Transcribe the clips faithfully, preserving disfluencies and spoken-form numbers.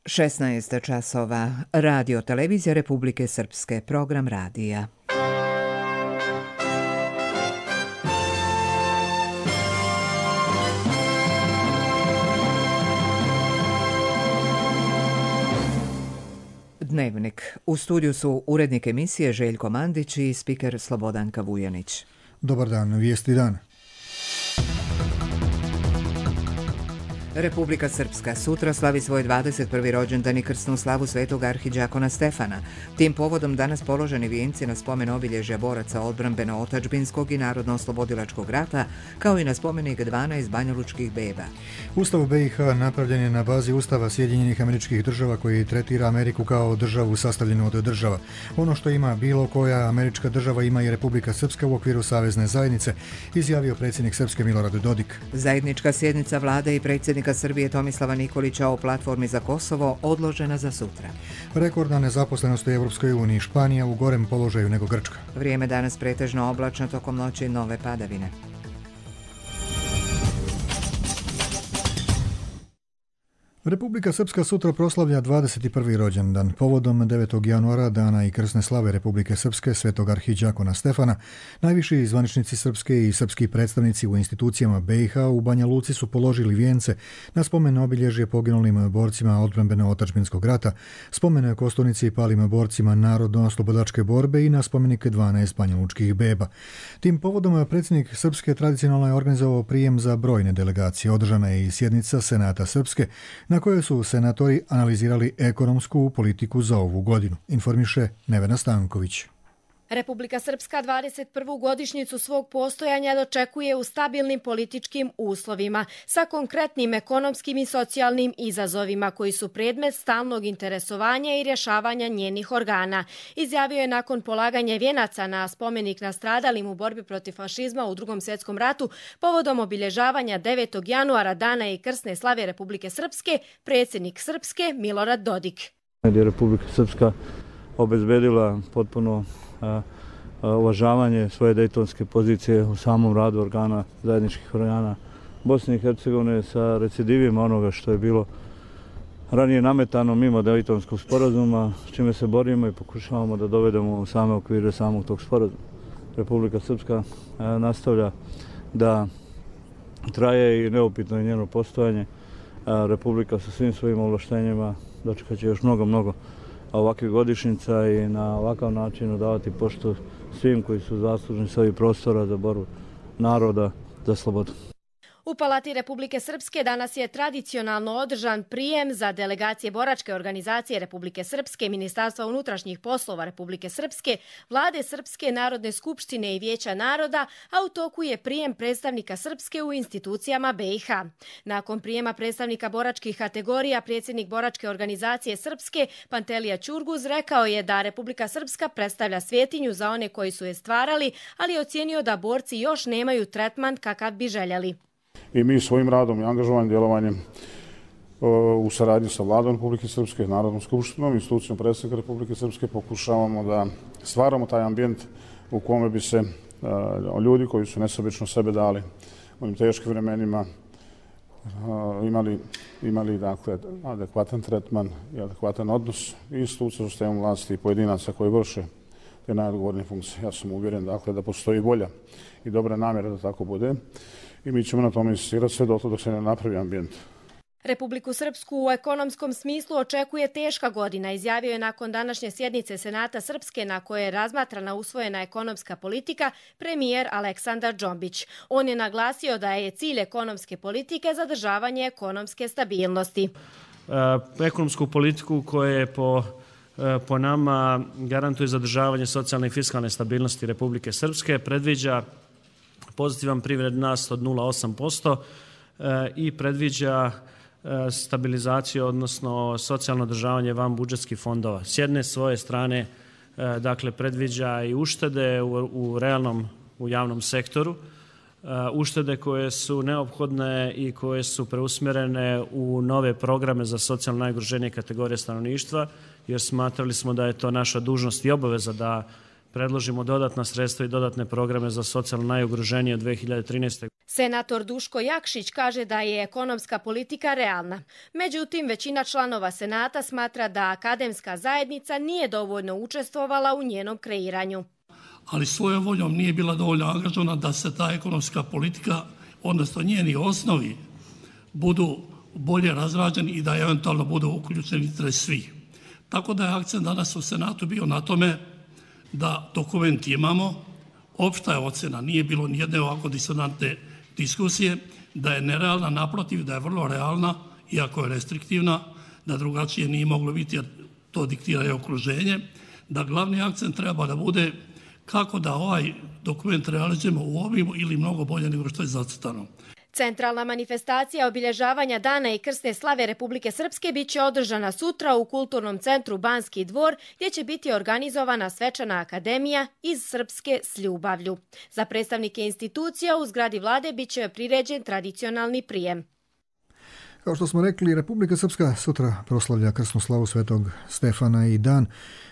šesnaest časova. Radio Televizija Republike Srpske. Program radija. Dnevnik. U studiju su urednik emisije Željko Mandić i spiker Slobodanka Vujanić. Dobar dan, vijesti dana. Republika Srpska sutra slavi svoj dvadeset prvi rođendan i krsnu slavu svetog arhidžakona Stefana. Tim povodom danas položeni vijenci na spomen obilježja boraca odbrambeno-otačbinskog i narodno-oslobodilačkog rata, kao i na spomenik dvanaest banjalučkih beba. Ustav B i H napravljen je na bazi Ustava Sjedinjenih Američkih Država koji tretira Ameriku kao državu sastavljenu od država. Ono što ima bilo koja američka država ima i Republika Srpska u okviru Savezne zajednice, izjavio predsjednik Srpske Milorad Dodik. Zajednička sjednica vlade i predsjednika Srbije Tomislava Nikolića o platformi za Kosovo odložena za sutra. Rekordna nezaposlenost u Evropskoj uniji, Španija u gorem položaju nego Grčka. Vrijeme danas pretežno oblačno, tokom noći nove padavine. Republika Srpska sutra proslavlja dvadeset prvi rođendan. Povodom devetog januara, dana i krsne slave Republike Srpske, svetog arhidžakona Stefana, najviši zvaničnici Srpske i srpski predstavnici u institucijama B i H u Banja Luci su položili vijence na spomen obilježje poginulim borcima odbrambeno-otačbinskog rata, spomen kosturnici i palim borcima narodno-oslobodilačke borbe i na spomenik dvanaest banjalučkih beba. Tim povodom predsjednik Srpske tradicionalno je organizovao prijem za brojne delegacije. Održana je i sjednica Senata Srpske, na kojoj su senatori analizirali ekonomsku politiku za ovu godinu, informiše Nevena Stanković. Republika Srpska dvadeset prvu godišnjicu svog postojanja dočekuje u stabilnim političkim uslovima, sa konkretnim ekonomskim i socijalnim izazovima koji su predmet stalnog interesovanja i rješavanja njenih organa, izjavio je nakon polaganja vijenaca na spomenik nastradalim u borbi protiv fašizma u Drugom svjetskom ratu povodom obilježavanja devetog januara, dana i krsne slave Republike Srpske, predsjednik Srpske Milorad Dodik. Republika Srpska obezbedila potpuno a, a, uvažavanje svoje dejtonske pozicije u samom radu organa, zajedničkih organa Bosne i Hercegovine sa recidivima onoga što je bilo ranije nametano mimo dejtonskog sporazuma, s čime se borimo i pokušavamo da dovedemo u same okvire samog tog sporazuma. Republika Srpska a, nastavlja da traje i neupitno je njeno postojanje. A, Republika sa svim svojim ovlaštenjima dočekat će još mnogo, mnogo ovakvih godišnjica i na ovakav način odavati poštu svim koji su zaslužni s ovih prostora za borbu naroda za slobodu. U Palati Republike Srpske danas je tradicionalno održan prijem za delegacije boračke organizacije Republike Srpske, Ministarstva unutrašnjih poslova Republike Srpske, Vlade Srpske, Narodne skupštine i Vijeća naroda, a u toku je prijem predstavnika Srpske u institucijama B i H. Nakon prijema predstavnika boračkih kategorija, predsjednik boračke organizacije Srpske, Pantelija Ćurguz, rekao je da Republika Srpska predstavlja svjetinju za one koji su je stvarali, ali je ocijenio da borci još nemaju tretman kakav bi željeli. I mi svojim radom i angažovanjem djelovanjem u saradnji sa Vladom Republike Srpske, Narodnom skupštinom, institucijom predsjednika Republike Srpske pokušavamo da stvaramo taj ambijent u kome bi se ljudi koji su nesebično sebe dali u ovim teškim vremenima imali, imali dakle, adekvatan tretman i adekvatan odnos i institucija u sistemu vlasti i pojedinaca koji vrše te najodgovornije funkcije. Ja sam uvjeren dakle, da postoji volja i dobra namjera da tako bude. I mi ćemo na tome insistirati sve do dok se ne napravi ambijent. Republiku Srpsku u ekonomskom smislu očekuje teška godina, izjavio je nakon današnje sjednice Senata Srpske na kojoj je razmatrana usvojena ekonomska politika premijer Aleksandar Džombić. On je naglasio da je cilj ekonomske politike zadržavanje ekonomske stabilnosti. E, ekonomsku politiku koja je po, e, po nama garantuje zadržavanje socijalne i fiskalne stabilnosti Republike Srpske, predviđa pozitivan privredni rast od nula zarez osam posto i predviđa stabilizaciju, odnosno socijalno održavanje van budžetskih fondova. S jedne svoje strane, dakle, predviđa i uštede u, u realnom, u javnom sektoru, uštede koje su neophodne i koje su preusmjerene u nove programe za socijalno najugroženije kategorije stanovništva, jer smatrali smo da je to naša dužnost i obaveza da predložimo dodatna sredstva i dodatne programe za socijalno najugroženije od dve hiljade trinaeste. Senator Duško Jakšić kaže da je ekonomska politika realna. Međutim, većina članova Senata smatra da akademska zajednica nije dovoljno učestvovala u njenom kreiranju. Ali svojom voljom nije bila dovoljno angažovana da se ta ekonomska politika, odnosno njeni osnovi, budu bolje razrađeni i da eventualno budu uključeni interes svih. Tako da je akcent danas u Senatu bio na tome da dokument imamo, opšta je ocena, nije bilo nijedne ovako disonantne diskusije, da je nerealna, naprotiv, da je vrlo realna, iako je restriktivna, da drugačije nije moglo biti jer to diktira i okruženje, da glavni akcent treba da bude kako da ovaj dokument realizujemo u obimu ili mnogo bolje nego što je zacrtano. Centralna manifestacija obilježavanja Dana i krsne slave Republike Srpske biće održana sutra u Kulturnom centru Banski dvor, gdje će biti organizovana svečana akademija iz Srpske s ljubavlju. Za predstavnike institucija u zgradi vlade biće priređen tradicionalni prijem. Kao što smo rekli, Republika Srpska sutra proslavlja krsnu slavu Svetog Stefana i dan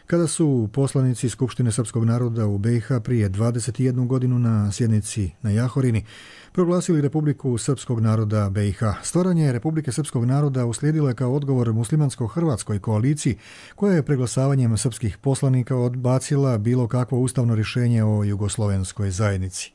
kada su poslanici Skupštine srpskog naroda u B i H prije dvadeset jednu godinu na sjednici na Jahorini proglasili Republiku Srpskog naroda B i H. Stvaranje Republike Srpskog naroda uslijedilo je kao odgovor muslimansko-hrvatskoj koaliciji koja je preglasavanjem srpskih poslanika odbacila bilo kakvo ustavno rješenje o jugoslovenskoj zajednici.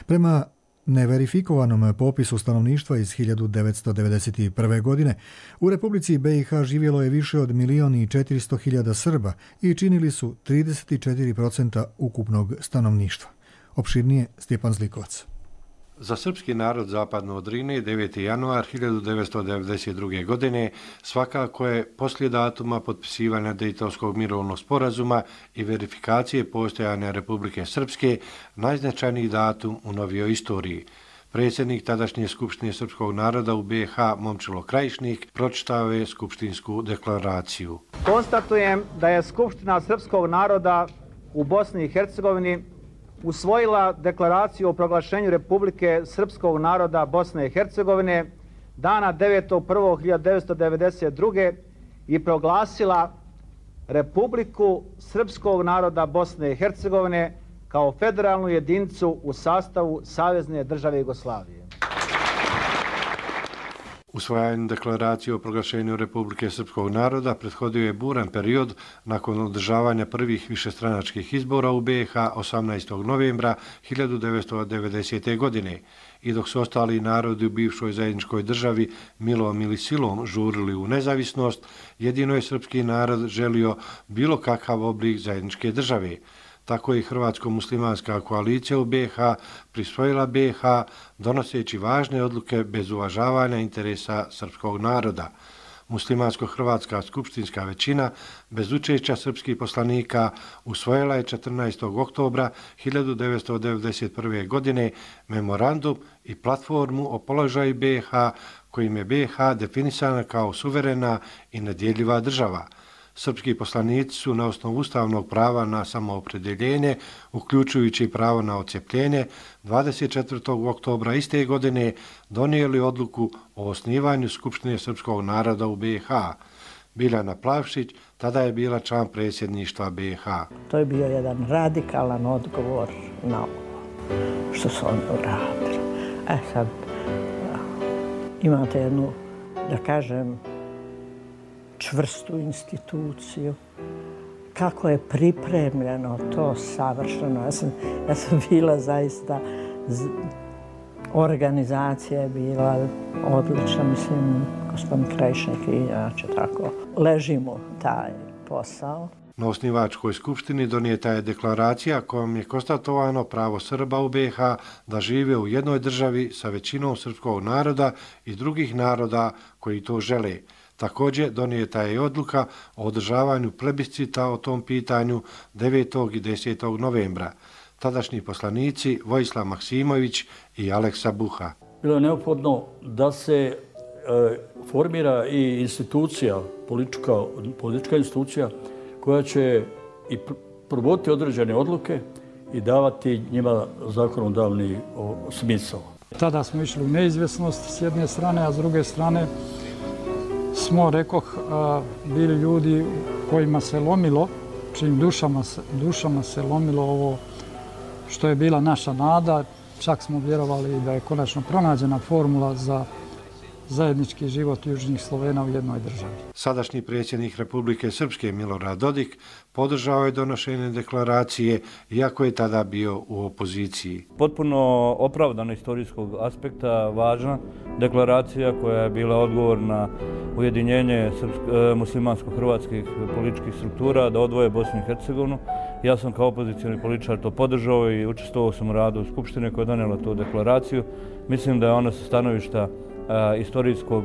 Prema neverifikovanom popisu stanovništva iz hiljadu devetsto devedeset prve. godine u Republici B i H živjelo je više od milion i četiristo hiljada Srba i činili su trideset četiri posto ukupnog stanovništva. Opširnije Stjepan Zlikovac. Za srpski narod zapadno od Drine deveti januar hiljadu devetsto devedeset druge. godine svakako je poslije datuma potpisivanja Dejtonskog mirovnog sporazuma i verifikacije postojanja Republike Srpske najznačajniji datum u novijoj istoriji. Predsjednik tadašnje Skupštine srpskog naroda u B i H Momčilo Krajišnik pročitao je skupštinsku deklaraciju. Konstatujem da je Skupština srpskog naroda u Bosni i Hercegovini usvojila deklaraciju o proglašenju Republike Srpskog naroda Bosne i Hercegovine dana devetog prvog hiljadu devetsto devedeset druge. i proglasila Republiku Srpskog naroda Bosne i Hercegovine kao federalnu jedinicu u sastavu Savezne države Jugoslavije. Usvajanju deklaracije o proglašenju Republike Srpskog naroda prethodio je buran period nakon održavanja prvih višestranačkih izbora u B i H osamnaestog novembra hiljadu devetsto devedesete. godine i dok su ostali narodi u bivšoj zajedničkoj državi milom ili silom žurili u nezavisnost, jedino je srpski narod želio bilo kakav oblik zajedničke države. Tako je Hrvatsko-muslimanska koalicija u B i H prisvojila B i H donoseći važne odluke bez uvažavanja interesa srpskog naroda. Muslimansko-hrvatska skupštinska većina bez učešća srpskih poslanika usvojila je četrnaestog oktobra hiljadu devetsto devedeset prve. godine memorandum i platformu o položaju B i H kojim je B i H definisana kao suverena i nedjeljiva država. Srpski poslanici su na osnovu ustavnog prava na samoopredjeljenje, uključujući pravo na odcepljenje, dvadeset četvrtog oktobra iste godine donijeli odluku o osnivanju Skupštine srpskog naroda u B i H. Biljana Plavšić tada je bila član predsjedništva B i H. To je bio jedan radikalan odgovor na ovo što su oni uradili. E sad, imate jednu, da kažem, čvrstu instituciju. Kako je pripremljeno to savršeno. Ja sam, ja sam bila zaista, organizacija je bila odlična, mislim, gospodin Krajišnik i ja će tako ležimo taj posao. Na osnivačkoj skupštini donijeta je deklaracija kojom je konstatovano pravo Srba u B i H da žive u jednoj državi sa većinom srpskog naroda i drugih naroda koji to žele. Također donijeta je i odluka o održavanju plebiscita o tom pitanju devetog i desetog novembra. Tadašnji poslanici Vojislav Maksimović i Aleksa Buha. Bilo je neophodno da se e, formira i institucija, politička, politička institucija koja će i provoditi određene odluke i davati njima zakonodavni smisao. Tada smo išli u neizvjesnost s jedne strane, a s druge strane smo, rekoh, bili ljudi kojima se lomilo, čim dušama, dušama se lomilo ovo što je bila naša nada, čak smo vjerovali da je konačno pronađena formula za zajednički život južnih Slovena u jednoj državi. Sadašnji predsjednik Republike Srpske Milorad Dodik podržao je donošenje deklaracije, iako je tada bio u opoziciji. Potpuno opravdano istorijskog aspekta važna deklaracija koja je bila odgovor na ujedinjenje muslimansko-hrvatskih političkih struktura da odvoje Bosnu i Hercegovinu. Ja sam kao opozicijni političar to podržao i učestvovao sam u radu Skupštine koja je donijela tu deklaraciju. Mislim da je ona sa stanovišta istorijskog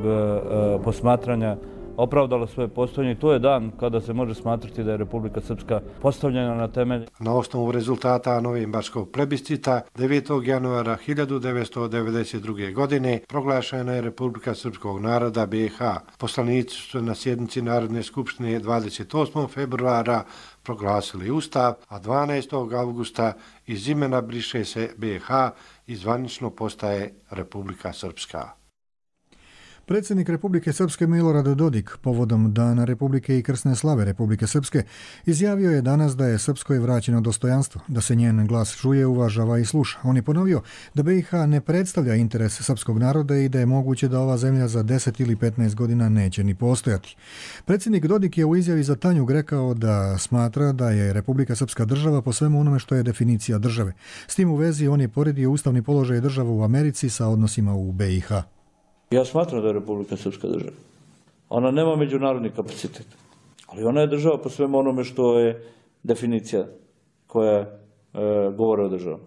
posmatranja opravdala svoje postojanje i to je dan kada se može smatrati da je Republika Srpska postavljena na temelj. Na osnovu rezultata novembarskog plebiscita devetog januara hiljadu devetsto devedeset druge. godine proglašena je Republika Srpskog naroda B i H. Poslanici su na sjednici Narodne skupštine dvadeset osmog februara proglasili Ustav, a dvanaestog avgusta iz imena briše se B i H i zvanično postaje Republika Srpska. Predsjednik Republike Srpske Milorad Dodik povodom Dana Republike i krsne slave Republike Srpske izjavio je danas da je Srpskoj vraćeno dostojanstvo, da se njen glas čuje, uvažava i sluša. On je ponovio da B i H ne predstavlja interes srpskog naroda i da je moguće da ova zemlja za deset ili petnaest godina neće ni postojati. Predsjednik Dodik je u izjavi za Tanjug rekao da smatra da je Republika Srpska država po svemu onome što je definicija države. S tim u vezi on je poredio ustavni položaj država u Americi sa odnosima u B i H. Ja smatram da je Republika Srpska država. Ona nema međunarodni kapacitet, ali ona je država po svemu onome što je definicija koja e, govore o državi.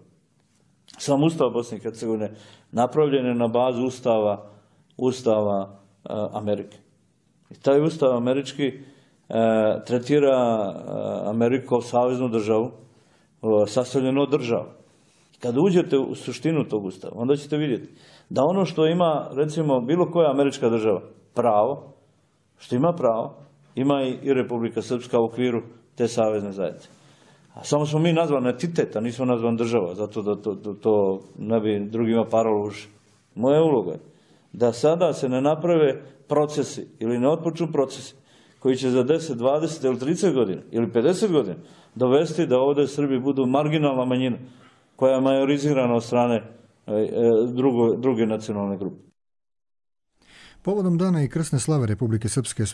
Sam Ustav Bosne i Hercegovine napravljen je na bazu Ustava, ustava e, Amerike. I taj Ustav američki e, tretira e, Ameriku kao saveznu državu, e, sastavljenu od država. Kada uđete u suštinu tog Ustava, onda ćete vidjeti da ono što ima, recimo, bilo koja američka država pravo, što ima pravo, ima i Republika Srpska u okviru te savezne zajednice. A samo smo mi nazvani entitet, a nismo nazvani država, zato da to, to, to ne bi drugima paralo uši. Moja uloga je da sada se ne naprave procesi ili ne otpočnu procesi koji će za deset, dvadeset ili trideset godina ili pedeset godina dovesti da ovdje Srbi budu marginalna manjina koja je majorizirana od strane drugo, druge nacionalne grupe. Povodom dana i krsne slave Republike Srpske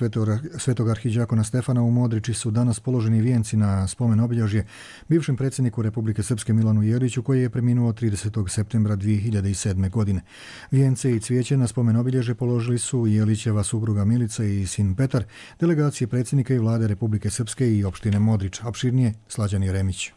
svetog arhidžakona Stefana u Modriči su danas položeni vijenci na spomen obilježje bivšem predsjedniku Republike Srpske Milanu Jeliću koji je preminuo tridesetog septembra dvije hiljade sedme. godine. Vijence i cvijeće na spomen obilježje položili su Jelićeva supruga Milica i sin Petar, delegacije predsjednika i vlade Republike Srpske i opštine Modrič. Opširnije Slađan Jeremić.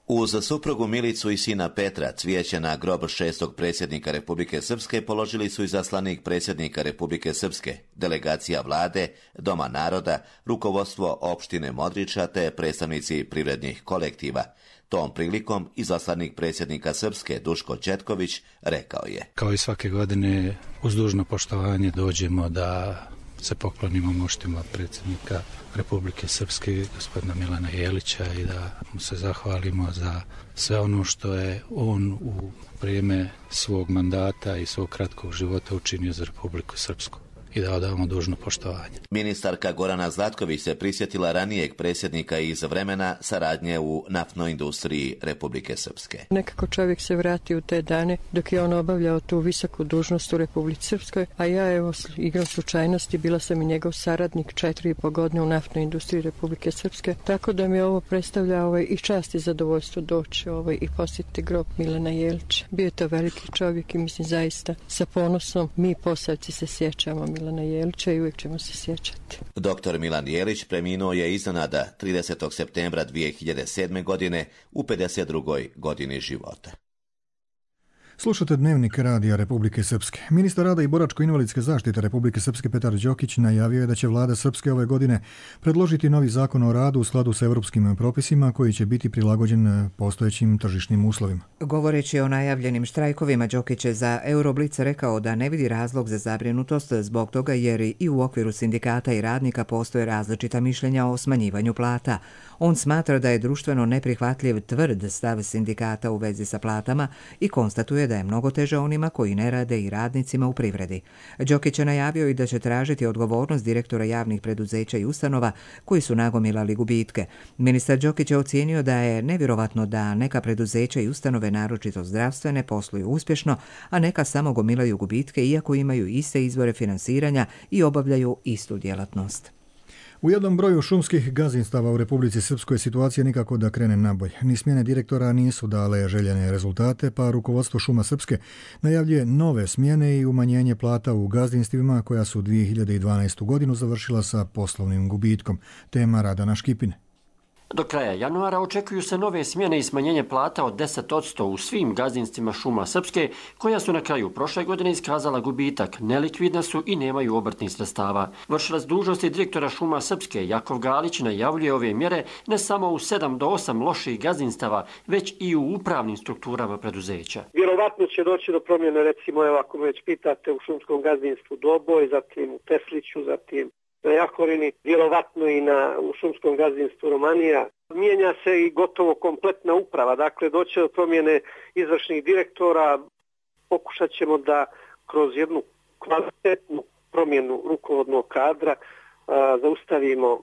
Uz suprugu Milicu i sina Petra cvijeće na grob šestog predsjednika Republike Srpske položili su izaslanik predsjednika Republike Srpske, delegacija vlade, Doma naroda, rukovodstvo opštine Modriča te predstavnici privrednih kolektiva. Tom prilikom izaslanik predsjednika Srpske Duško Četković rekao je: Kao i svake godine uz dužno poštovanje dođemo da se poklonimo moštima predsjednika Republike Srpske, gospodina Milana Jelića, i da mu se zahvalimo za sve ono što je on u vrijeme svog mandata i svog kratkog života učinio za Republiku Srpsku i da odavamo dužno poštovanje. Ministarka Gorana Zlatković se prisjetila ranijeg predsjednika iz vremena saradnje u naftnoj industriji Republike Srpske. Nekako čovjek se vrati u te dane dok je on obavljao tu visoku dužnost u Republici Srpskoj, a ja evo igram slučajnosti, bila sam i njegov saradnik četiri i po godine u naftnoj industriji Republike Srpske, tako da mi ovo predstavlja ovaj, i čast i zadovoljstvo doći ovaj, i posjetiti grob Milana Jelića. Bio je to veliki čovjek i mislim zaista sa ponosom mi Posavci se sjećamo Milana Jelića i uvijek ćemo se sjećati. Doktor Milan Jelić preminuo je iznenada tridesetog septembra dvije hiljade sedme. godine u pedeset drugoj. godini života. Slušate Dnevnik radija Republike Srpske. Ministar rada i boračko-invalidske zaštite Republike Srpske Petar Đokić najavio je da će vlada Srpske ove godine predložiti novi zakon o radu u skladu sa europskim propisima koji će biti prilagođen postojećim tržišnim uslovima. Govoreći o najavljenim štrajkovima, Đokić je za Euroblic rekao da ne vidi razlog za zabrinutost zbog toga jer i u okviru sindikata i radnika postoje različita mišljenja o smanjivanju plata. On smatra da je društveno neprihvatljiv tvrd stav sindikata u vezi sa platama i konstatuje konstatuje da je mnogo teže onima koji ne rade i radnicima u privredi. Đokić je najavio i da će tražiti odgovornost direktora javnih preduzeća i ustanova koji su nagomilali gubitke. Ministar Đokić je ocijenio da je nevjerovatno da neka preduzeća i ustanove, naročito zdravstvene, posluju uspješno, a neka samo gomilaju gubitke iako imaju iste izvore finansiranja i obavljaju istu djelatnost. U jednom broju šumskih gazdinstava u Republici Srpskoj situacija nikako da krene nabolje. Ni smjene direktora nisu dale željene rezultate, pa rukovodstvo Šuma Srpske najavljuje nove smjene i umanjenje plata u gazdinstvima koja su dvije hiljade dvanaestu. godinu završila sa poslovnim gubitkom. Tema Radana Škipine. Do kraja januara očekuju se nove smjene i smanjenje plata od deset posto u svim gazdinstvima Šuma Srpske, koja su na kraju prošle godine iskazala gubitak, nelikvidna su i nemaju obrtnih sredstava. Vršilac dužnosti direktora Šuma Srpske Jakov Galić najavljuje ove mjere ne samo u sedam do osam loših gazdinstava, već i u upravnim strukturama preduzeća. Vjerovatno će doći do promjene, recimo, evo, ako me već pitate, u šumskom gazdinstvu Doboj, zatim u Tesliću, zatim na Jahorini, vjerovatno i na, u šumskom gazdinstvu Romanija. Mijenja se i gotovo kompletna uprava, dakle doće do promjene izvršnih direktora. Pokušat ćemo da kroz jednu kvalitetnu promjenu rukovodnog kadra a, zaustavimo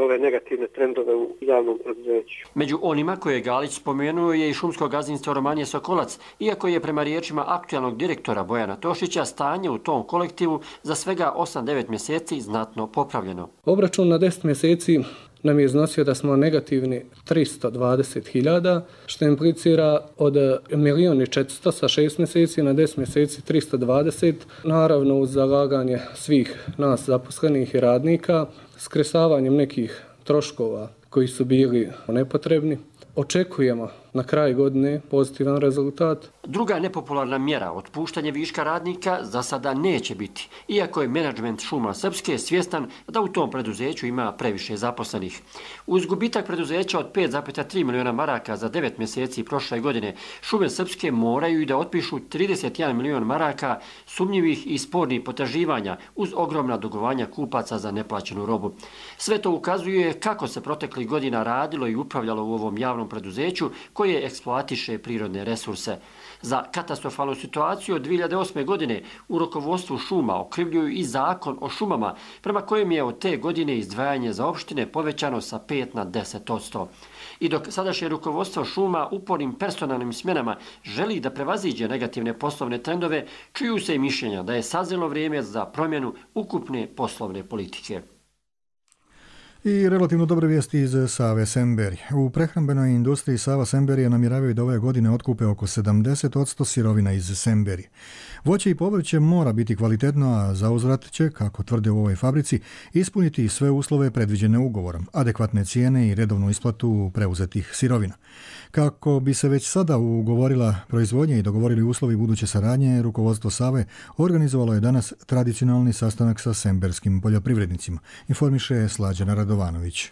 ove negativne trendove u javnom preduzeću. Među onima koje je Galić spomenuo je i šumsko gazdinstvo Romanije Sokolac, iako je prema riječima aktualnog direktora Bojana Tošića stanje u tom kolektivu za svega osam do devet mjeseci znatno popravljeno. Obračun na deset mjeseci nam je iznosio da smo negativni tristo dvadeset hiljada, što implicira od milijun i četiristo sa šest mjeseci na deset mjeseci tristo dvadeset, naravno uz zalaganje svih nas zaposlenih i radnika, skresavanjem nekih troškova koji su bili nepotrebni. Očekujemo na kraju godine pozitivan rezultat. Druga nepopularna mjera, otpuštanje viška radnika, za sada neće biti, iako je menadžment Šuma Srpske svjestan da u tom preduzeću ima previše zaposlenih. Uz gubitak preduzeća od pet zarez tri milijuna maraka za devet mjeseci prošle godine, Šume Srpske moraju i da otpišu trideset jedan milijon maraka sumnjivih i spornih potraživanja uz ogromna dugovanja kupaca za neplaćenu robu. Sve to ukazuje kako se proteklih godina radilo i upravljalo u ovom javnom preduzeću koje eksploatiše prirodne resurse. Za katastrofalnu situaciju od dvije hiljade osme. godine u rukovodstvu šuma okrivljuju i zakon o šumama, prema kojem je od te godine izdvajanje za opštine povećano sa pet na deset posto. I dok sadašnje rukovodstvo šuma upornim personalnim smjenama želi da prevaziđe negativne poslovne trendove, čuju se i mišljenja da je sazrelo vrijeme za promjenu ukupne poslovne politike. I relativno dobre vijesti iz Save Semberije. U prehrambenoj industriji Sava Semberije namjeravaju da ove godine otkupe oko sedamdeset posto sirovina iz Semberije. Voće i povrće mora biti kvalitetno, a zauzvrat će, kako tvrde u ovoj fabrici, ispuniti sve uslove predviđene ugovorom, adekvatne cijene i redovnu isplatu preuzetih sirovina. Kako bi se već sada ugovorila proizvodnja i dogovorili uslovi buduće saradnje, rukovodstvo Save organizovalo je danas tradicionalni sastanak sa semberskim poljoprivrednicima, informiše Slađana Radovanović.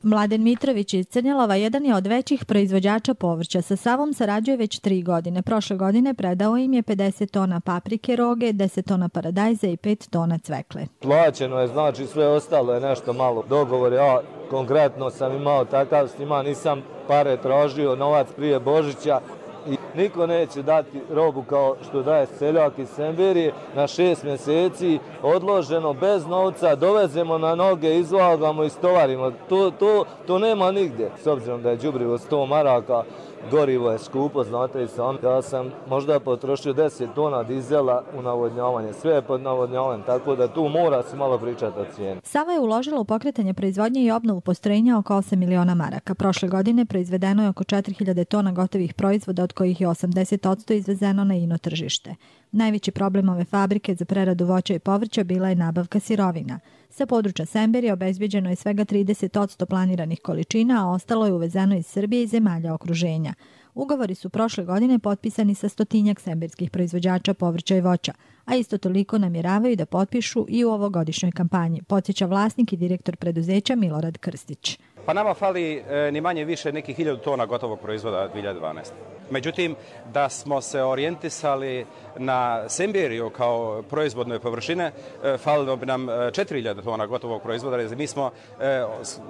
Mladen Mitrović iz Crnjelova jedan je od većih proizvođača povrća. Sa Savom sarađuje već tri godine. Prošle godine predao im je pedeset tona paprike roge, deset tona paradajza i pet tona cvekle. Plaćeno je, znači sve ostalo je nešto malo dogovor. Ja konkretno sam imao takav s njima, nisam pare tražio, novac prije Božića. I niko neće dati robu kao što daje seljak iz Semberije na šest mjeseci, odloženo, bez novca, dovezemo na noge, izvagamo i stovarimo. To, to, to nema nigdje. S obzirom da je đubrivo sto maraka, gorivo je skupo, znate i sam. Ja sam možda potrošio deset tona dizela u navodnjavanje, sve je pod navodnjavanjem, tako da tu mora se malo pričati o cijeni. Sava je uložila u pokretanje proizvodnje i obnovu postrojenja oko osam miliona maraka. Prošle godine proizvedeno je oko četiri hiljade tona gotovih proizvoda, od kojih je osamdeset posto izvezeno na ino tržište. Najveći problem ove fabrike za preradu voća i povrća bila je nabavka sirovina. Sa područja Semberije obezbeđeno je svega trideset posto planiranih količina, a ostalo je uvezeno iz Srbije i zemalja okruženja. Ugovori su prošle godine potpisani sa stotinjak semberskih proizvođača povrća i voća, a isto toliko namjeravaju da potpišu i u ovogodišnjoj kampanji, podsjeća vlasnik i direktor preduzeća Milorad Krstić. Pa nama fali e, ni manje više nekih hiljadu tona gotovog proizvoda dvije hiljade dvanaeste. Međutim, da smo se orijentisali na Semberiju kao proizvodne površine, falilo bi nam četiri hiljade tona gotovog proizvoda. Mi smo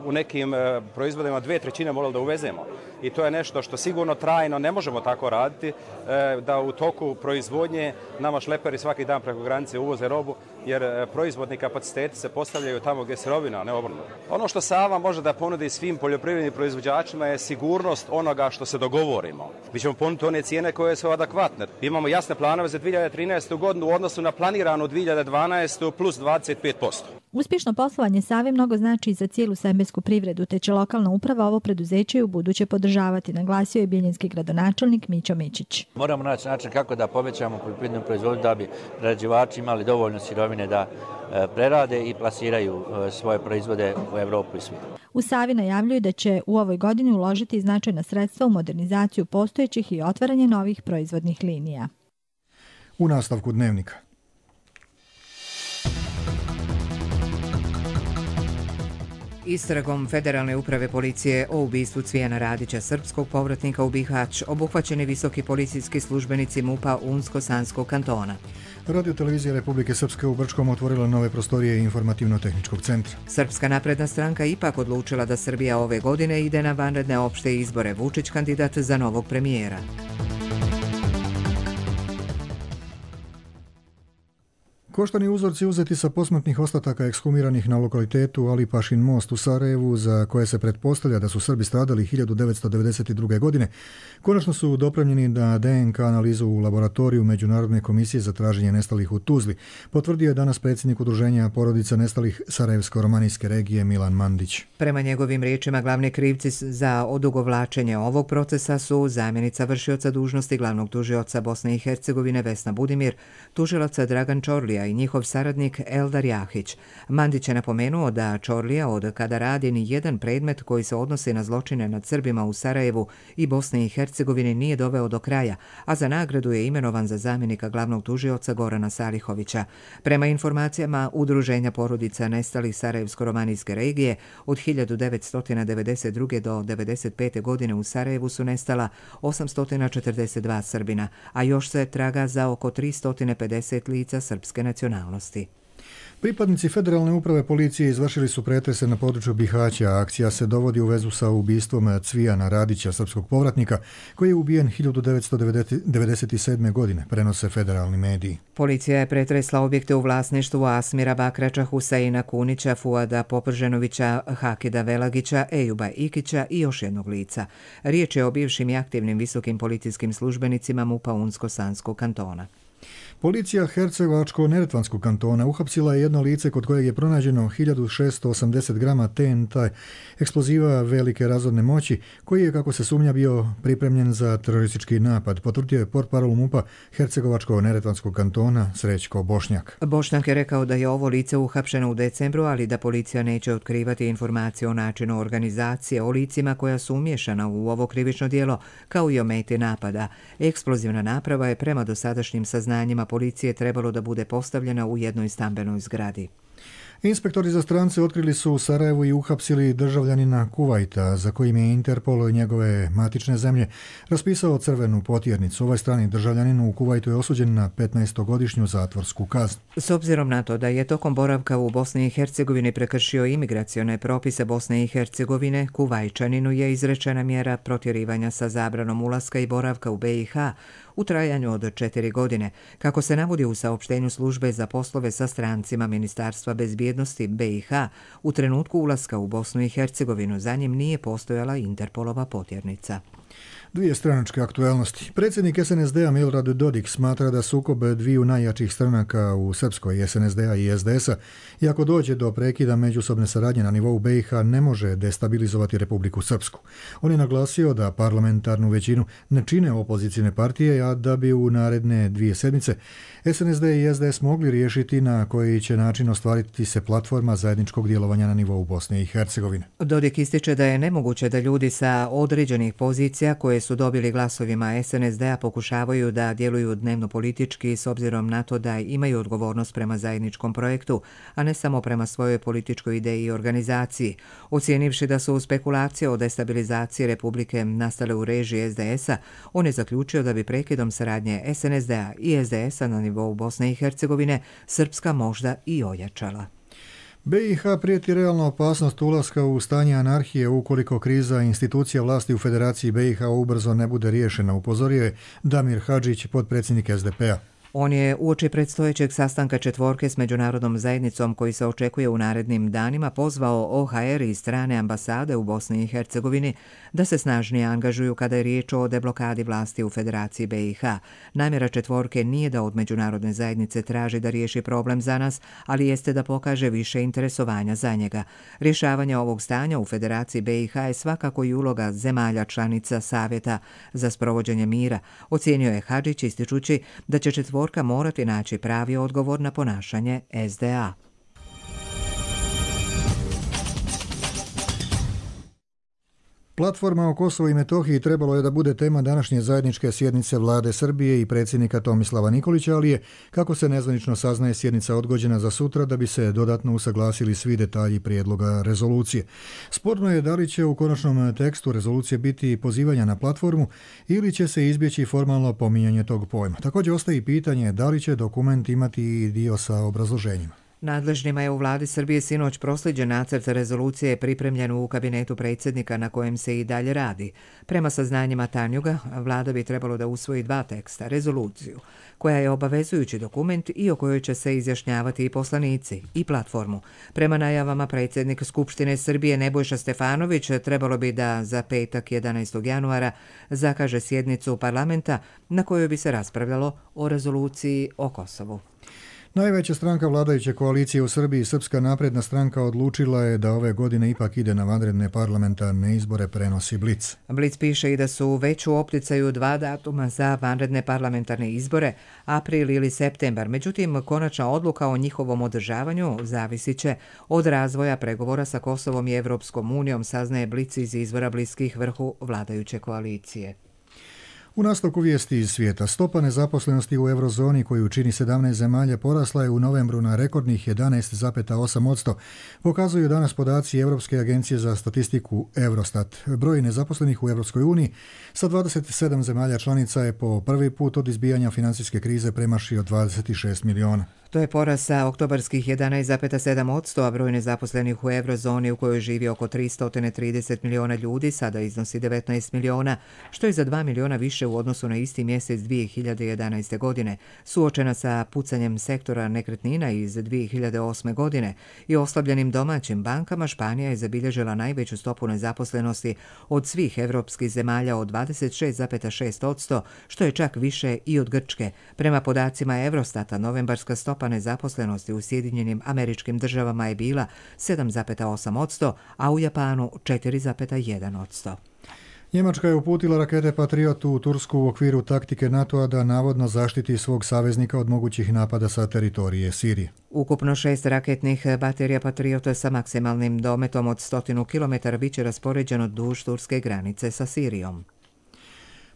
u nekim proizvodima dve trećine morali da uvezemo. I to je nešto što sigurno trajno ne možemo tako raditi, da u toku proizvodnje nama šleperi svaki dan preko granice uvoze robu, jer proizvodni kapaciteti se postavljaju tamo gdje je sirovina, a ne obrnuto. Ono što Sava može da ponudi svim poljoprivrednim proizvođačima je sigurnost onoga što se dogovorimo. Mi ćemo ponuditi one cijene koje su adekvatne. Imamo jasne planove za dvije hiljade trinaestu. godinu u odnosu na planiranu dvije hiljade dvanaestu. plus dvadeset pet posto. Uspješno poslovanje Save mnogo znači i za cijelu sembensku privredu, te će lokalna uprava ovo preduzeće i u buduće podržavati, naglasio je bijeljinski gradonačelnik Mićo Mičić. Moramo naći način kako da povećamo poljoprivrednu proizvodnju da bi prerađivači imali dovoljno sirovine da prerade i plasiraju svoje proizvode u Evropu i svijet. U Savi najavljuju da će u ovoj godini uložiti značajna sredstva u modernizaciju postojećih i otvaranje novih proizvodnih linija. U nastavku dnevnika. Istragom Federalne uprave policije o ubistvu Cvijana Radića, srpskog povratnika u Bihać, obuhvaćeni visoki policijski službenici MUP-a Unsko-Sanskog kantona. Radio televizija Republike Srpske u Brčkom otvorila nove prostorije informativno-tehničkog centra. Srpska napredna stranka ipak odlučila da Srbija ove godine ide na vanredne opšte izbore. Vučić kandidat za novog premijera. Koštani uzorci uzeti sa posmrtnih ostataka ekshumiranih na lokalitetu Alipašin most u Sarajevu, za koje se pretpostavlja da su Srbi stradali hiljadu devetsto devedeset druge. godine, konačno su dopremljeni na D N K analizu u laboratoriju Međunarodne komisije za traženje nestalih u Tuzli, potvrdio je danas predsjednik Udruženja porodica nestalih Sarajevsko-romanijske regije Milan Mandić. Prema njegovim riječima, glavni krivci za odugovlačenje ovog procesa su zamjenica vršioca dužnosti glavnog tužioca Bosne i Hercegovine Vesna Budimir, tužilaca Dragan Čorlija i njihov saradnik Eldar Jahić. Mandić je napomenuo da Čorlija od kada radi ni jedan predmet koji se odnosi na zločine nad Srbima u Sarajevu i Bosne i Hercegovine nije doveo do kraja, a za nagradu je imenovan za zamjenika glavnog tužioca Gorana Salihovića. Prema informacijama Udruženja porodica nestalih Sarajevsko-romanijske regije, od hiljadu devetsto devedeset druge. do devedeset pete. godine u Sarajevu su nestala osamsto četrdeset dva Srbina, a još se traga za oko tristo pedeset lica srpske nacionalnosti. Pripadnici Federalne uprave policije izvršili su pretrese na području Bihaća. Akcija se dovodi u vezu sa ubistvom Cvijana Radića, srpskog povratnika, koji je ubijen hiljadu devetsto devedeset sedme. godine, prenose federalni mediji. Policija je pretresla objekte u vlasništvu Asmira Bakrača, Huseina Kunića, Fuada Poprženovića, Hakida Velagića, Ejuba Ikića i još jednog lica. Riječ je o bivšim i aktivnim visokim policijskim službenicima MUP-a Unsko-Sanskog kantona. Policija Hercegovačko-Neretvanskog kantona uhapsila je jedno lice kod kojeg je pronađeno hiljadu šesto osamdeset grama T N T eksploziva velike razorne moći, koji je, kako se sumnja, bio pripremljen za teroristički napad, potvrdio je portparol MUP-a Hercegovačko-Neretvanskog kantona Srećko Bošnjak. Bošnjak je rekao da je ovo lice uhapšeno u decembru, ali da policija neće otkrivati informacije o načinu organizacije, o licima koja su umješana u ovo krivično djelo, kao i o meti napada. Eksplozivna naprava je prema dosadašnjim saznanjima policije trebalo da bude postavljena u jednoj stambenoj zgradi. Inspektori za strance otkrili su u Sarajevu i uhapsili državljanina Kuvajta, za kojim je Interpol i njegove matične zemlje raspisao crvenu potjernicu. Ovaj strani državljanin u Kuvajtu je osuđen na petnaestogodišnju zatvorsku kaznu. S obzirom na to da je tokom boravka u Bosni i Hercegovini prekršio imigracione propise Bosne i Hercegovine, Kuvajčaninu je izrečena mjera protjerivanja sa zabranom ulaska i boravka u B i H u trajanju od četiri godine, kako se navodi u saopštenju službe za poslove sa strancima Ministarstva bezbjednosti B i H. U trenutku ulaska u Bosnu i Hercegovinu za njim nije postojala Interpolova potjernica. Dvije stranačke aktuelnosti. Predsjednik S N S D-a Milorad Dodik smatra da sukob dviju najjačih stranaka u Srpskoj, S N S D-a i S D S-a, i ako dođe do prekida međusobne saradnje na nivou B i H, ne može destabilizovati Republiku Srpsku. On je naglasio da parlamentarnu većinu ne čine opozicijne partije, a da bi u naredne dvije sedmice S N S D i S D S mogli riješiti na koji će način ostvariti se platforma zajedničkog djelovanja na nivou Bosne i Hercegovine. Dodik ističe da je nemoguće da ljudi sa određenih pozicija koje su dobili glasovima es en es de a pokušavaju da djeluju dnevno politički s obzirom na to da imaju odgovornost prema zajedničkom projektu, a ne samo prema svojoj političkoj ideji i organizaciji. Ocijenivši da su spekulacije o destabilizaciji Republike nastale u režiji es de es a, on je zaključio da bi prekidom saradnje es en es de a i es de es a na nivou Bosne i Hercegovine Srpska možda i ojačala. be i ha prijeti realna opasnost ulaska u stanje anarhije ukoliko kriza institucija vlasti u Federaciji be i ha ubrzo ne bude riješena, upozorio je Damir Hadžić, potpredsjednik es de pe a. On je uoči predstojećeg sastanka četvorke s međunarodnom zajednicom koji se očekuje u narednim danima pozvao o ha er i strane ambasade u Bosni i Hercegovini da se snažnije angažuju kada je riječ o deblokadi vlasti u Federaciji be i ha. Namjera četvorke nije da od međunarodne zajednice traži da riješi problem za nas, ali jeste da pokaže više interesovanja za njega. Rješavanje ovog stanja u Federaciji be i ha je svakako i uloga zemalja članica Savjeta za sprovođenje mira, ocijenio je Hadžić ističući da će četvorka morati naći pravi odgovor na ponašanje es de a. Platforma o Kosovu i Metohiji trebalo je da bude tema današnje zajedničke sjednice vlade Srbije i predsjednika Tomislava Nikolića, ali je, kako se nezvanično saznaje, sjednica odgođena za sutra da bi se dodatno usaglasili svi detalji prijedloga rezolucije. Sporno je da li će u konačnom tekstu rezolucije biti pozivanja na platformu ili će se izbjeći formalno pominjanje tog pojma. Također ostaje i pitanje da li će dokument imati i dio sa obrazloženjima. Nadležnima je u vladi Srbije sinoć proslijeđen nacrt rezolucije pripremljen u kabinetu predsjednika na kojem se i dalje radi. Prema saznanjima Tanjuga, vlada bi trebalo da usvoji dva teksta, rezoluciju, koja je obavezujući dokument i o kojoj će se izjašnjavati i poslanici, i platformu. Prema najavama predsjednik Skupštine Srbije Nebojša Stefanović trebalo bi da za petak jedanaestog januara zakaže sjednicu parlamenta na kojoj bi se raspravljalo o rezoluciji o Kosovu. Najveća stranka vladajuće koalicije u Srbiji, Srpska napredna stranka, odlučila je da ove godine ipak ide na vanredne parlamentarne izbore, prenosi Blic. Blic piše i da su već u opticaju dva datuma za vanredne parlamentarne izbore, april ili septembar. Međutim, konačna odluka o njihovom održavanju zavisit će od razvoja pregovora sa Kosovom i Evropskom unijom, saznaje Blic iz izvora bliskih vrhu vladajuće koalicije. U nastavku vijesti iz svijeta, stopa nezaposlenosti u eurozoni koju čini sedamnaest zemalja porasla je u novembru na rekordnih jedanaest zarez osam posto, pokazuju danas podaci Europske agencije za statistiku Eurostat. Broj nezaposlenih u Europskoj uniji sa dvadeset sedam zemalja članica je po prvi put od izbijanja financijske krize premašio dvadeset šest miliona. To je porast sa oktobarskih jedanaest zarez sedam posto, a broj nezaposlenih u eurozoni u kojoj živi oko tristo trideset miliona ljudi sada iznosi devetnaest miliona, što je za dva miliona više u odnosu na isti mjesec dvije hiljade jedanaeste. godine. Suočena sa pucanjem sektora nekretnina iz dvije hiljade osme. godine i oslabljenim domaćim bankama, Španija je zabilježila najveću stopu nezaposlenosti od svih evropskih zemalja od dvadeset šest zarez šest posto, što je čak više i od Grčke. Prema podacima Eurostata, novembarska stopa nezaposlenosti u Sjedinjenim Američkim Državama je bila sedam zarez osam posto, a u Japanu četiri zarez jedan posto. Njemačka je uputila rakete Patriot u Tursku u okviru taktike NATO-a da navodno zaštiti svog saveznika od mogućih napada sa teritorije Sirije. Ukupno šest raketnih baterija Patriota sa maksimalnim dometom od stotinu kilometara biće raspoređeno duž turske granice sa Sirijom.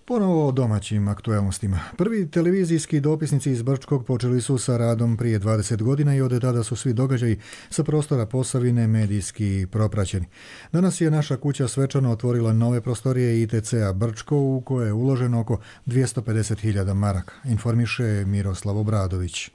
Ponovo o domaćim aktualnostima. Prvi televizijski dopisnici iz Brčkog počeli su sa radom prije dvadeset godina i od tada su svi događaji sa prostora Posavine medijski propraćeni. Danas je naša kuća svečano otvorila nove prostorije i te ce a Brčko u koje je uloženo oko dvjesto pedeset hiljada maraka, informiše Miroslav Obradović.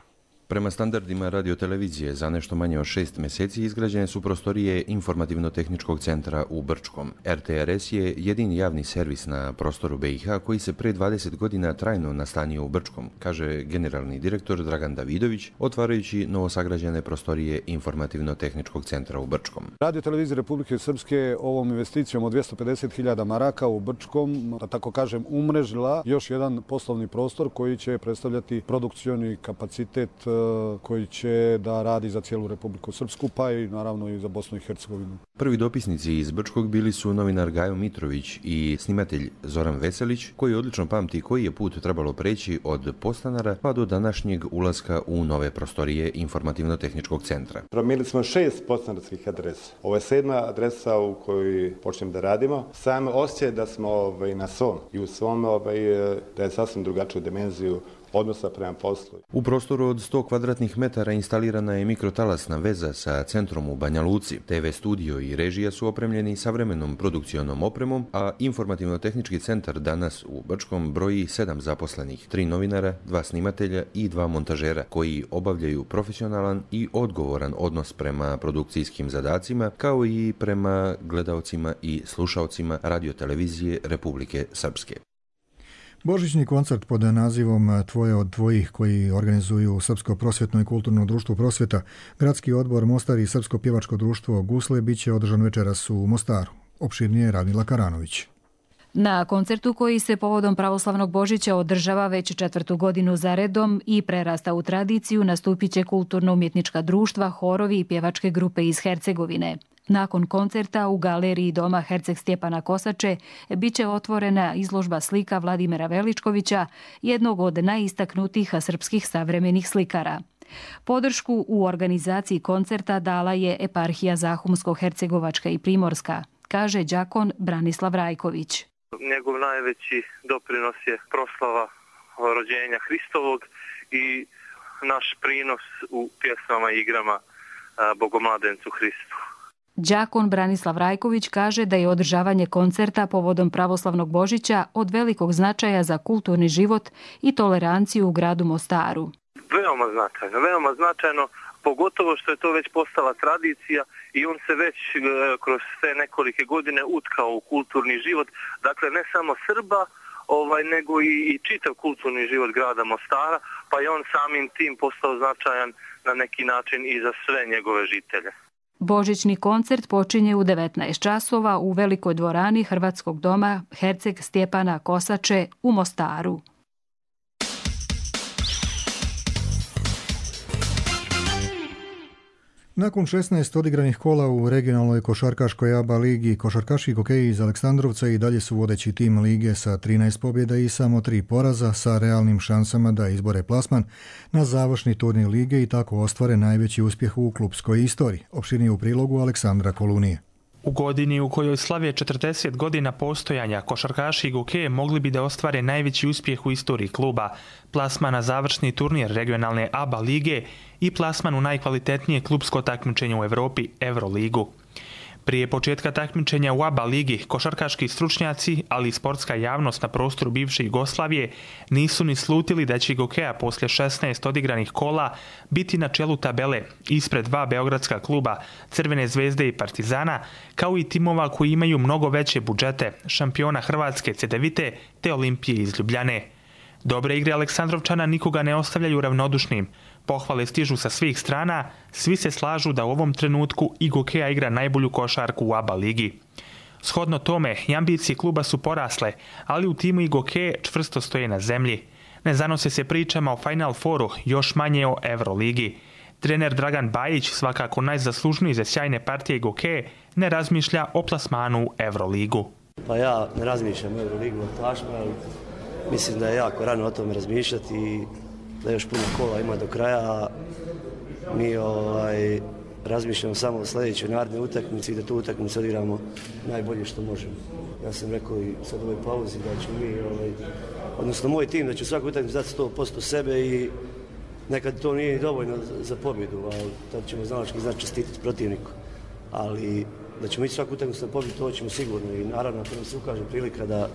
Prema standardima radiotelevizije za nešto manje od šest mjeseci izgrađene su prostorije Informativno-tehničkog centra u Brčkom. er te er es je jedini javni servis na prostoru be i ha koji se pre dvadeset godina trajno nastanio u Brčkom, kaže generalni direktor Dragan Davidović, otvarajući novosagrađene prostorije Informativno-tehničkog centra u Brčkom. Radiotelevizija Republike Srpske ovom investicijom od dvjesto pedeset hiljada maraka u Brčkom, da tako kažem, umrežila još jedan poslovni prostor koji će predstavljati produkcioni kapacitet koji će da radi za cijelu Republiku Srpsku, pa i naravno i za Bosnu i Hercegovinu. Prvi dopisnici iz Brčkog bili su novinar Gajo Mitrović i snimatelj Zoran Veselić, koji odlično pamti koji je put trebalo preći od podstanara pa do današnjeg ulaska u nove prostorije Informativno-tehničkog centra. Promijenili smo šest podstanarskih adresa. Ovo je sedma adresa u kojoj počnemo da radimo. Sam osjećaj da smo ovaj, na svom i u svom ovaj, da je sasvim drugačiju dimenziju odnosa prema poslu. U prostoru od sto kvadratnih metara instalirana je mikrotalasna veza sa centrom u Banja Luci. te ve studio i režija su opremljeni savremenom produkcionom opremom, a Informativno-tehnički centar danas u Brčkom broji sedam zaposlenih, tri novinara, dva snimatelja i dva montažera, koji obavljaju profesionalan i odgovoran odnos prema produkcijskim zadacima, kao i prema gledaocima i slušaocima radiotelevizije Republike Srpske. Božićni koncert pod nazivom Tvoje od tvojih, koji organizuju Srpsko prosvjetno i kulturno društvo Prosvjeta, Gradski odbor Mostar i Srpsko pjevačko društvo Gusle bit će održan večeras u Mostaru. Opširnije Radmila Karanović. Na koncertu koji se povodom pravoslavnog Božića održava već četvrtu godinu za redom i prerasta u tradiciju, nastupit će kulturno-umjetnička društva, horovi i pjevačke grupe iz Hercegovine. Nakon koncerta u galeriji Doma Herceg Stjepana Kosače bit će otvorena izložba slika Vladimira Veličkovića, jednog od najistaknutijih srpskih savremenih slikara. Podršku u organizaciji koncerta dala je eparhija Zahumsko-Hercegovačka i Primorska, kaže đakon Branislav Rajković. Njegov najveći doprinos je proslava rođenja Hristovog i naš prinos u pjesmama i igrama Bogomladencu Hristu. Đakon Branislav Rajković kaže da je održavanje koncerta povodom pravoslavnog Božića od velikog značaja za kulturni život i toleranciju u gradu Mostaru. Veoma značajno, veoma značajno, pogotovo što je to već postala tradicija i on se već kroz sve nekolike godine utkao u kulturni život, dakle ne samo Srba, ovaj, nego i, i čitav kulturni život grada Mostara, pa je on samim tim postao značajan na neki način i za sve njegove žitelje. Božićni koncert počinje u devetnaest časova u velikoj dvorani Hrvatskog doma Herceg Stjepana Kosače u Mostaru. Nakon šesnaest odigranih kola u regionalnoj košarkaškoj A B A ligi, košarkaši hokeji iz Aleksandrovca i dalje su vodeći tim lige sa trinaest pobjeda i samo tri poraza, sa realnim šansama da izbore plasman na završni turnir lige i tako ostvare najveći uspjeh u klupskoj istoriji. Opširnije u prilogu Aleksandra Kolunije. U godini u kojoj slave četrdeset godina postojanja, košarkaši Goke mogli bi da ostvare najveći uspjeh u istoriji kluba, plasman na završni turnir regionalne A B A lige i plasman u najkvalitetnije klubsko takmičenje u Evropi, Euroligu. Prije početka takmičenja u A B A ligi, košarkaški stručnjaci, ali i sportska javnost na prostoru bivše Jugoslavije nisu ni slutili da će Gokea poslije šesnaest odigranih kola biti na čelu tabele ispred dva beogradska kluba, Crvene zvezde i Partizana, kao i timova koji imaju mnogo veće budžete, šampiona Hrvatske Cedevite te Olimpije iz Ljubljane. Dobre igre Aleksandrovčana nikoga ne ostavljaju ravnodušnim. Pohvale stižu sa svih strana, svi se slažu da u ovom trenutku i Gokea igra najbolju košarku u A B A ligi. Shodno tome, i ambicije kluba su porasle, ali u timu i Gokee čvrsto stoje na zemlji. Ne zanose se pričama o Final Fouru, još manje o Euroligi. Trener Dragan Bajić, svakako najzaslužniji za sjajne partije Gokee, ne razmišlja o plasmanu u Euroligu. Pa ja ne razmišljam o Euroligu, ali mislim da je jako rano o tome razmišljati i da još puno kola ima do kraja. Mi ovaj, razmišljamo samo o sljedećoj narednoj utakmici i da tu utakmicu odigramo najbolje što možemo. Ja sam rekao i sad u ovoj pauzi da ću mi, ovaj, odnosno moj tim, da ću svaku utakmicu dati sto posto sebe i nekad to nije dovoljno za pobjedu, ali tad ćemo znalački znati čestitati protivniku. Ali da ćemo ići svaku utakmicu na pobjedu, to ćemo sigurno i naravno ako nam se ukaže prilika da,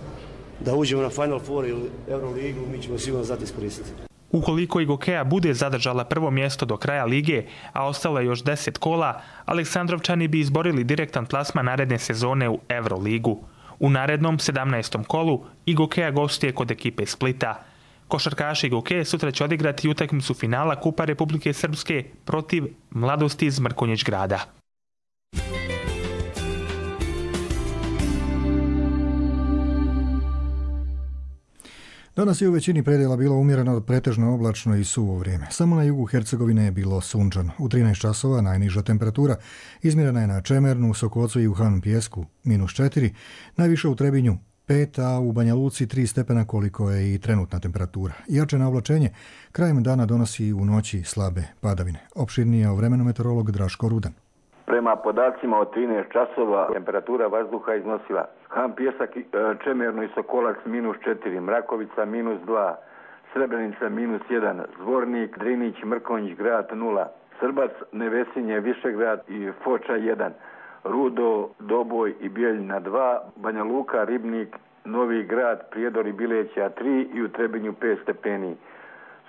da uđemo na Final Four ili Euroligu, mi ćemo sigurno znati iskoristiti. Ukoliko i Gokea bude zadržala prvo mjesto do kraja lige, a ostalo je još deset kola, Aleksandrovčani bi izborili direktan plasman naredne sezone u Euroligu. U narednom sedamnaestom kolu i Gokea gostuje kod ekipe Splita. Košarkaši Gokee sutra će odigrati utakmicu finala Kupa Republike Srpske protiv Mladosti iz Mrkonjić grada. Danas je u većini predjela bilo umjereno, pretežno oblačno i suvo vrijeme. Samo na jugu Hercegovine je bilo sunčano. U trinaest časova najniža temperatura izmjerena je na Čemernu, Sokocu i u Han Pijesku minus četiri, najviše u Trebinju pet, a u Banja Luci tri stepena koliko je i trenutna temperatura. Jače navlačenje krajem dana donosi u noći slabe padavine. Opširnije o vremenu meteorolog Draško Rudan. Prema podacima od trinaest časova temperatura vazduha iznosila Han Pijesak, Čemerno i Sokolac minus četiri, Mrakovica minus dva, Srebrenica minus jedan, Zvornik, Drinić, Mrkonjić, Grad nula, Srbac, Nevesinje, Višegrad i Foča jedan, Rudo, Doboj i Bijeljina dva, Banja Luka, Ribnik, Novi Grad, Prijedor i Bileća tri i u Trebinju pet stepeni.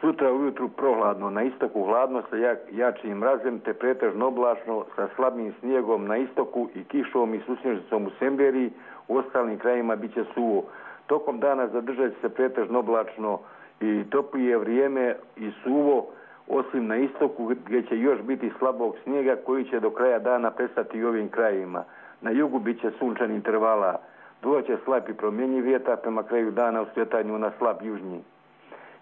Sutra ujutru prohladno, na istoku hladno sa jak, jačim mrazem te pretežno oblačno sa slabim snijegom na istoku i kišom i susnježicom u Semberiji, u ostalim krajima bit će suvo. Tokom dana zadržat će se pretežno oblačno i toplije vrijeme i suvo, osim na istoku gdje će još biti slabog snijega koji će do kraja dana prestati i ovim krajima. Na jugu bit će sunčan intervala, duvaće slab i promjenjiv vjetar prema kraju dana u skretanju na slab južnji.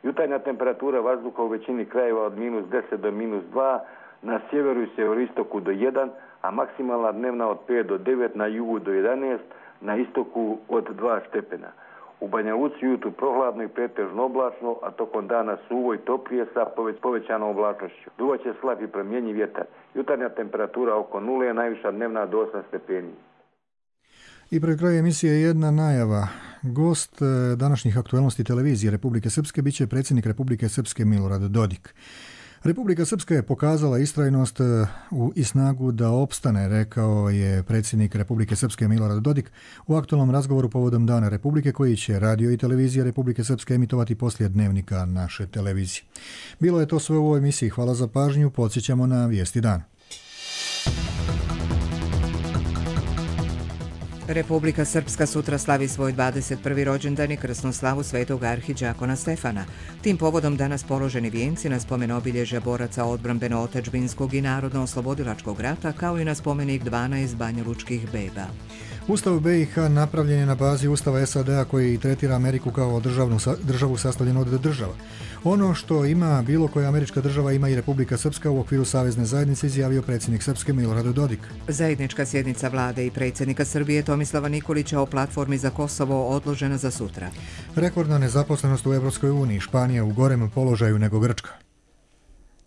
Jutarnja temperatura vazduha u većini krajeva od minus deset do minus dva, na sjeveru i sjeveroistoku do jedan, a maksimalna dnevna od pet do devet, na jugu do jedanaest, na istoku od dva stepena. U Banja Luci jutru prohladno i pretežno oblačno, a tokom dana suvo i toplije sa povećanom oblačnošću. Duvaće slab i promjenjiv vjetar. Jutarnja temperatura oko nule, najviša dnevna do osam stepeni. I pred kraj emisije jedna najava. Gost današnjih aktualnosti televizije Republike Srpske bit će predsjednik Republike Srpske Milorad Dodik. Republika Srpska je pokazala istrajnost i snagu da opstane, rekao je predsjednik Republike Srpske Milorad Dodik u aktualnom razgovoru povodom Dana Republike koji će radio i televizija Republike Srpske emitovati poslije dnevnika naše televizije. Bilo je to sve u ovoj emisiji. Hvala za pažnju. Podsjećamo na vijesti dana. Republika Srpska sutra slavi svoj dvadeset prvi rođendan i krsnu slavu svetog arhidžakona Stefana. Tim povodom danas položeni vijenci na spomen obilježja boraca odbrambeno-otadžbinskog i narodno-oslobodilačkog rata, kao i na spomenik dvanaest banjalučkih beba. Ustav B i H napravljen je na bazi Ustava S A D-a koji tretira Ameriku kao državnu, državu sastavljenu od država. Ono što ima bilo koja američka država ima i Republika Srpska u okviru Savezne zajednice, izjavio predsjednik Srpske Milorad Dodik. Zajednička sjednica vlade i predsjednika Srbije Tomislava Nikolića o platformi za Kosovo odložena za sutra. Rekordna nezaposlenost u Evropskoj uniji, Španija u gorem položaju nego Grčka.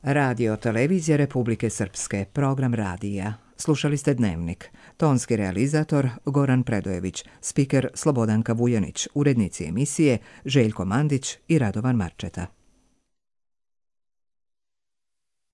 Radio televizija Republike Srpske, program radija. Slušali ste Dnevnik. Tonski realizator Goran Predojević, spiker Slobodanka Vujanić, urednici emisije Željko Mandić i Radovan Marčeta.